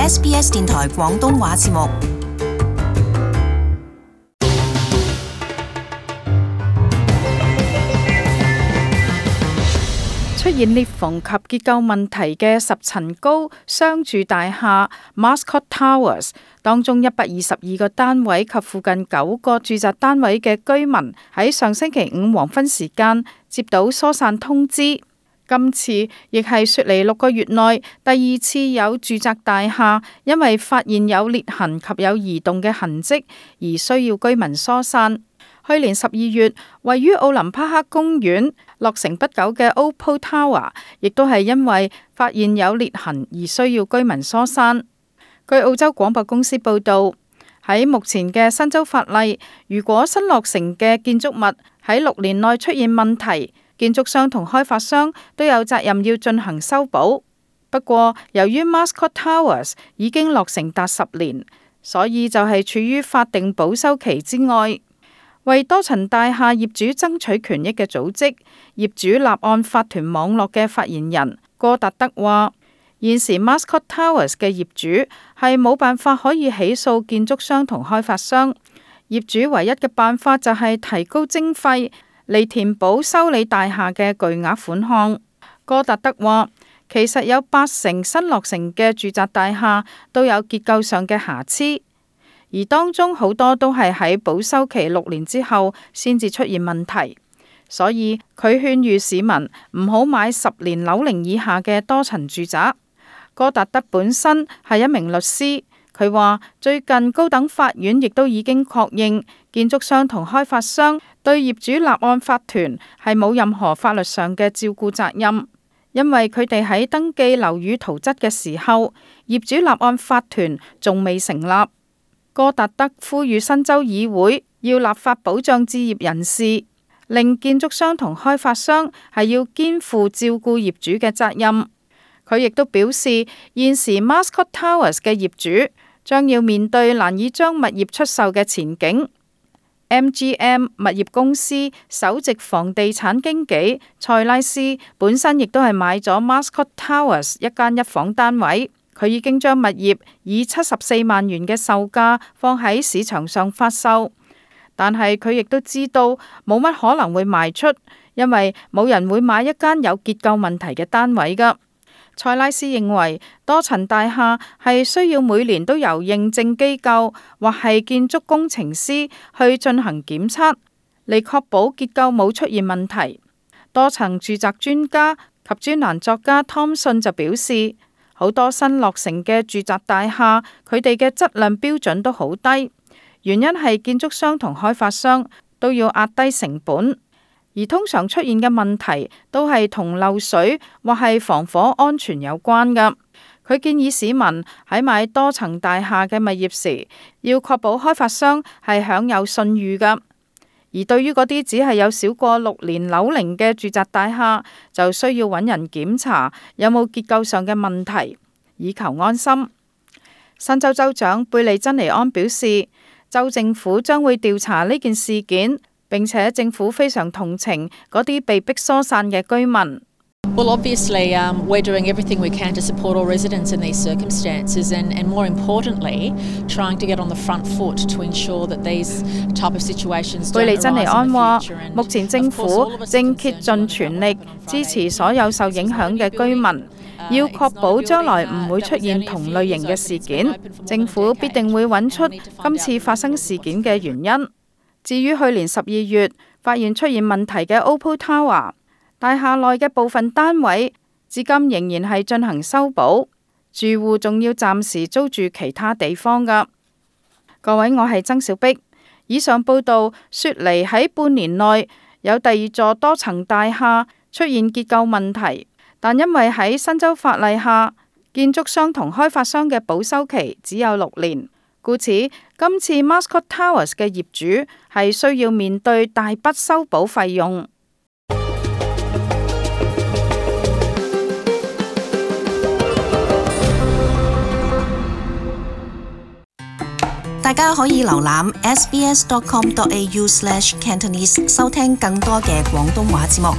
SBS 電台廣東話節目。出現裂縫及結構問題嘅10層高商住大廈 Mascot Towers 當中122個單位及附近9個住宅單位嘅居民喺上星期五黃昏時間接到疏散通知。今次亦係雪梨6個月內第2次有住宅大廈因為發現有裂痕及有移動嘅痕跡而需要居民疏散。去年12月，位於奧林匹克公園落成不久嘅 Opal Tower 亦都係因為發現有裂痕而需要居民疏散。據澳洲廣播公司報導，喺目前嘅新州法例，如果新落成嘅建築物喺6年內出現問題，建築商同開發商都有責任要進行修補。不過，由於 Mascot Towers 已經落成達10年，所以就係處於法定保修期之外。為多層大廈業主爭取權益嘅組織業主立案法團網絡嘅發言人戈達德話，現時 Mascot Towers 嘅業主係冇辦法可以起訴建築商同開發商，業主唯一嘅辦法就係提高徵費嚟填補修理大廈嘅巨額款項。戈達德話，其實有80%新落成嘅住宅大廈都有結構上嘅瑕疵。而當中好多都係喺保修期6年之後先至出現問題，所以佢勸喻市民唔好買10年樓齡以下嘅多層住宅。戈達德本身係一名律師，佢話最近高等法院亦都已經確認建築商同開發商對業主立案法團係冇任何法律上嘅照顧責任，因為佢哋喺登記樓宇圖則嘅時候，業主立案法團仲未成立。戈達德呼籲新州議會要立法保障置業人士，令建築商同開發商係要肩負照顧業主嘅責任。佢亦都表示，現時 Mascot Towers 嘅業主將要面對難以將物業出售嘅前景。MGM 物業公司首席房地產經紀塞拉斯本身亦都係買咗 Mascot Towers 一間一房單位。佢已經將物業以74萬元嘅售價放喺市場上發售，但係佢亦都知道冇乜可能會賣出，因為冇人會買一間有結構問題嘅單位㗎。塞拉斯認為多層大廈係需要每年都由認證機構或係建築工程師去進行檢測，嚟確保結構冇出現問題。多層住宅專家及專欄作家湯信就表示，好多新落成嘅住宅大廈，佢哋嘅質量標準都好低，原因係建築商同開發商都要壓低成本，而通常出現嘅問題都係同漏水或係防火安全有關㗎。佢建議市民喺買多層大廈嘅物業時，要確保開發商係享有信譽㗎。而對於嗰啲只係有少過6年樓齡嘅住宅大廈，就需要揾人檢查有冇結構上嘅問題，以求安心。新州州長貝利珍尼安表示，州政府將會調查呢件事件，並且政府非常同情嗰啲被迫疏散嘅居民。Well, obviously, we're doing everything we can to support all residents in these circumstances and more importantly, trying to get on the front foot to ensure that these type of situations don't arise in the future. 貝利珍尼安話，目前政府正竭盡全力支持所有受影響嘅居民，要確保將來唔會出現同類型嘅事件。政府必定會揾出今次發生事件嘅原因。至於去年12月發現出現問題嘅 Opal Tower，大廈內嘅部分單位至今仍然係進行修補，住戶仲要暫時租住其他地方㗎。各位，我係曾小碧。以上報道，雪梨喺半年內有第2座多層大廈出現結構問題，但因為喺新州法例下，建築商同開發商嘅保修期只有6年，故此今次 Mascot Towers 嘅業主係需要面對大筆修補費用。大家可以瀏覽 sbs.com.au/cantonese 收聽更多嘅廣東話節目。